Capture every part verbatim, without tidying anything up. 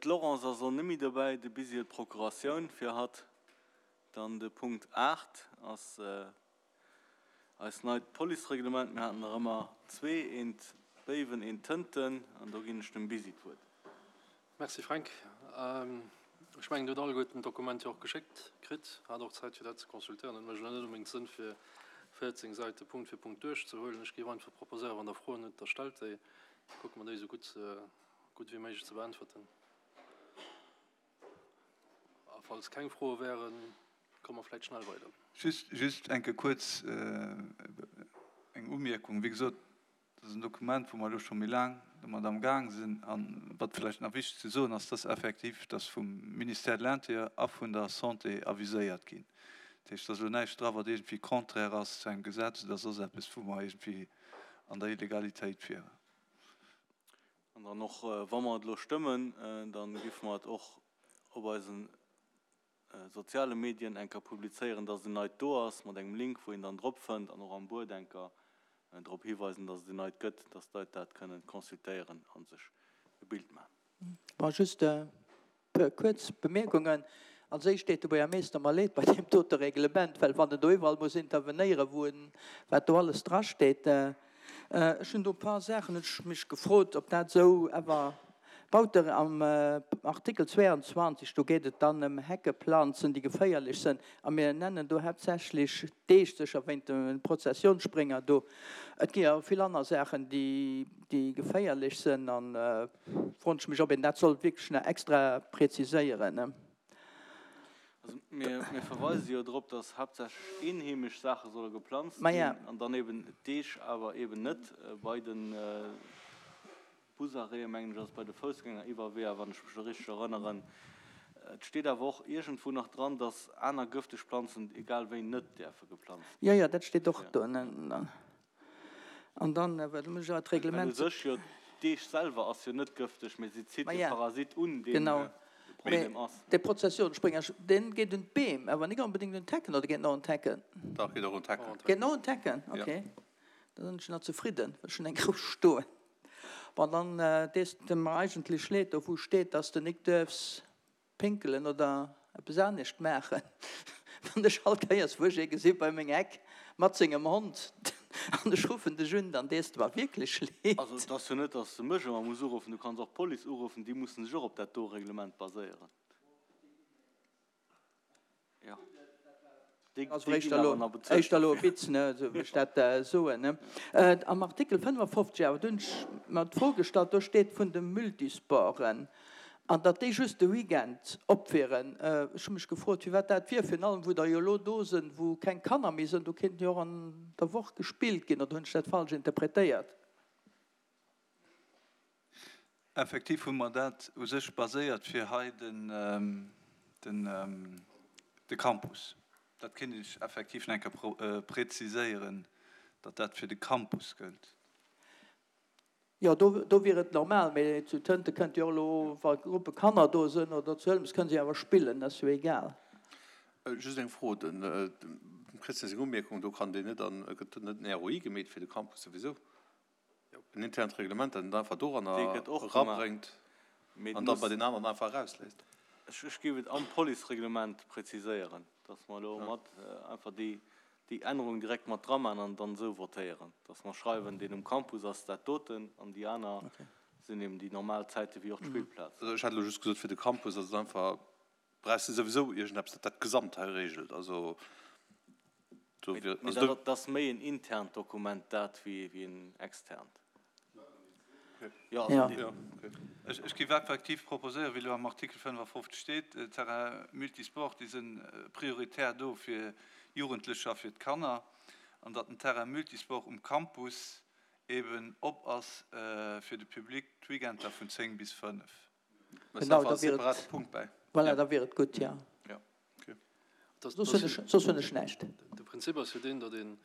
D'Laurence ass och net méi dobäi, de Bisi huet d'Procuratioun fir hatt. Dann de Punkt aacht ass eist neit Policereglement. Mir haten der ëmmer zwee, eent Béiwen, eent Tënten, an do ginn ech dem Bisi d'Wuert. Merci Fränk. Ech mengen, Dir hutt alleguerten d'Dokument jo och geschéckt kritt, hat och Zäit fir dat ze consultéieren. Et mécht elo net onbedéngt Sënn fir véierzéng Säite Punkt fir Punkt duerchzehuelen. Ech géif einfach proposéieren, wann Der Froen hutt, da stellt déi, da kucke mer déi esou gutt gutt wéi méiglech ze beäntwerten. A falls keng Froe wären, komme mer vläicht schnell weider. Just, just eng Kéier kuerz eng Umierkung. Wéi gesot, dat ass en Dokument, wou mer elo scho méi laang domat amgaang sinn. A wat vläicht nach wichteg ze soen ass, dass effektiv dass vum Ministère de l'Intérieur a vun der Santé aviséiert ginn. Dat heescht, et ass elo näischt dra, wat iergendwéi contraire ass zu engem Gesetz oder soss eppes, wou mer iergendwéi an der Illegalitéit wieren. An dann och, wa mer et elo stëmmen, da géife mer et och op eisen soziale Medien enker publizéieren, dass en neit do ass, mat engem Link, wou een dann drop fënnt, an och am Buet enker drop hiweisen, dass et en neit gëtt, dass d'Leit dat kënnen consultéieren a sech e Bild maachen. Bon, just e puer kuerz Bemierkungen. Als éischt deet de Buergermeester mer leed bei deem dote Reglement, well wann en do iwwerall muss intervenéieren, wou en, wat do alles drasteet. Ech hunn do e paar Saachen, hunn ech mech gefrot, ob dat esou awer Bauter am Artikel zweiundzwanzeg, do geet et dann ëm Heckeplanzen, déi geféierlech sënn, a mir nennen do haaptsächlech d'Eech, sécher wéint de Prozessionsspringer do. Et gi awer vill aner Saachen, déi, déi geféierlech sënn, an froen ech mech, ob een dat soll wierklech nach extra präziséieren. Also mir, mir verweise jo drop, dass haaptsächlech eenheemesch Saache solle geplanzt ginn, an dann eben d'Eech awer eben net bei den Busarrêten, mengen ech, ass bei de Foussgängeriwwerweeër, wann ech mech elo richteg erënneren. Et steet awer och iergendwou nach dran, dass aner gëfteg Planzen egal wéi net däerfe geplanzt ginn. Jo, jo, dat steet och do. An dann, well do muss ech awer d'Reglement. Well u sech jo d'Eech selwer ass jo net gëfteg, mee si zitt e Parasit un, deen de Problem ass. Genau. Mee dee Prozessionsspringer, dee geet un d'Beem, awer nik onbedéngt un d'Hecken, oder geet en och un d'Hecken? Dach, geet och un d'Hecken. Geet en och un d'Hecken? Okay. Da sinn ech nach zefridden, well ech hunn eng grouss stoen. Bon, dann dees de mer eigentlech leed, do wou steet, dass de nik duerfs pinkelen oder eppes anescht maachen. Wann ech all Kéiers, wou ech ee gesi bei meng Eck mat sengem Hond an ech ruffen dech un, dann dees de mer wierklech leed. Also et ass jo net, dass de mech ëmmer muss uruffen, du kanns och d'Police uruffen, déi mussen sech och op dat do Reglement baséieren. Jo. Also éischter elo, éischter elo e Witz, ne, esou wéi ech dat soen, ne. Am Artikel fënnefafofzeg awer, do hunn ech mer d'Fro gestallt, do steet vun de Multisporten, an datt déi just de Weekend op wieren. Ech hu mech gefrot, firwat dat wier, virun allem wou der jo elo do sënn, wou keng Kanner méi sënn, do kéinten jo och an der Woch gespillt ginn, oder hunn ech dat falsch interpretéiert? Effektiv hu mer dat u sech baséiert fir hei de Campus. Dat kéint ech effektiv nach eng Kéier preziséieren, datt dat fir de Campus gëllt. Jo, do wier et normal, mee zu Tënte kënnt jo och elo, wa Gruppe Kanner do sënn, oder zu Hëlmes, kënne si awer spillen, dat ass jo egal. Just eng Fro, dem Christian seng Umierkung, do kann deen net an, gëtt net en R O I gemeet fir de Campus souwisou? En internt Reglement, dat en einfach doranner erabréngt an da bei den aneren einfach erausléisst. Ech géif et am Policereglement präziséieren, dass mer elo mat einfach déi Ännerung direkt mat dramaachen an dann esou votéieren, dass mer schreiwen, deen um Campus ass dat doten an déi aner sinn eben déi normal Zäite wéi och d'Spillplaz. Ech hat elo just gesot, fir de Campus ass et einfach, brauchs de souwisou iergendeppes, dat dat Gesamt hei regelt. Also do wier, Mee also do. dat ass méi en internt Dokument dat wéi en externt. Jo, also Ja. dee. Ja, okay. Ech, ech géif effektiv proposéieren, wéi elo am Artikel fënnefafofzeg steet, Terrain multisport, déi si prioritär do fir Jugendlecher, fir d'Kanner, an datt den Terrain multisport um Campus eben op ass fir de Public d'Weekender vun zéng bis fënnef. Genau, da wier et, voilà, da wier et gutt, jo. Soss hunn ech näischt. De Prinzip ass jo deen, datt een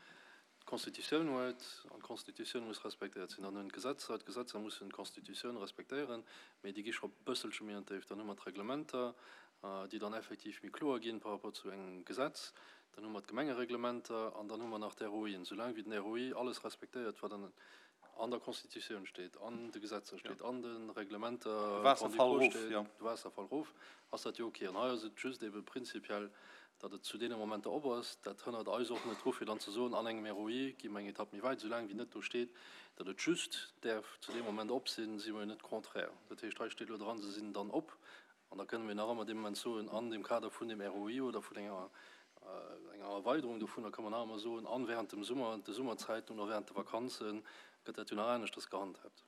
d'Constitutioun huet, an d'Constitutioun muss respektéiert sinn. Dann hunn d'Gesetzer, d'Gesetzer mussen d'Constitutioun respektéieren, mee déi gi scho e bësselche méi an d'Déift. Dann hu mer d'Reglementer, déi dann effektiv méi kloer ginn par rapport zu engem Gesetz. Dann hu mer d'Gemengereglementer an dann hu mer nach d'R O I'en. Soulaang wéi den R O I alles respektéiert, wat an An der Constitutioun steet, an de Gesetzer steet, an de Reglementer De Waasserfall grand-ducaux erof, steet, jo. de Waasserfall erof, ass dat jo ok. An hei ass et just ebe prinzipiell, datt et zu deene Momenter op ass. Dat hënnert eis och net dru fir dann ze soen, an engem R O I gi mer eng Etapp méi wäit, soulaang wéi net do steet, datt et just däerf zu deem Moment op sinn, si mer jo net contraire. Dat heescht, hei steet elo dran, se sinn dann op. An da kënne mir nach ëmmer dee Moment soen, an dem Kader vun dem R O I oder vun enger enger Erweiderung dovunner, ka mer nach ëmmer soen, an während dem Summer, de Summerzäiten oder während de Vakanzen gëtt dat jo nach aneschters gehandhabt.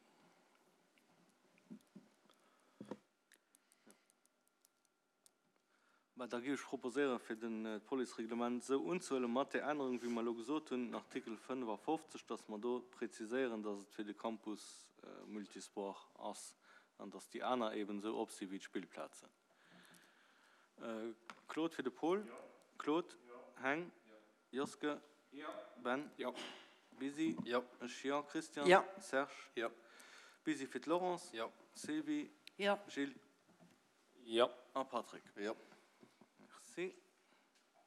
Mä da géif ech proposéieren, fir den d'Policereglement esou unzehuelen, mat där Ännerung, wéi mer elo gesot hunn, den Artikel fënnefafofzeg, dass mer do präziséieren, dass et fir de Campus Multisport ass an dass déi aner eben esou op si wéi d'Spillplazen. Claude fir de Paul. Claude. Heng. Joske. Ben. Busy. Ech jo. Christian. Serge. Busy fir d'Laurence. Sylvie. Gilles. A Patrick. Merci.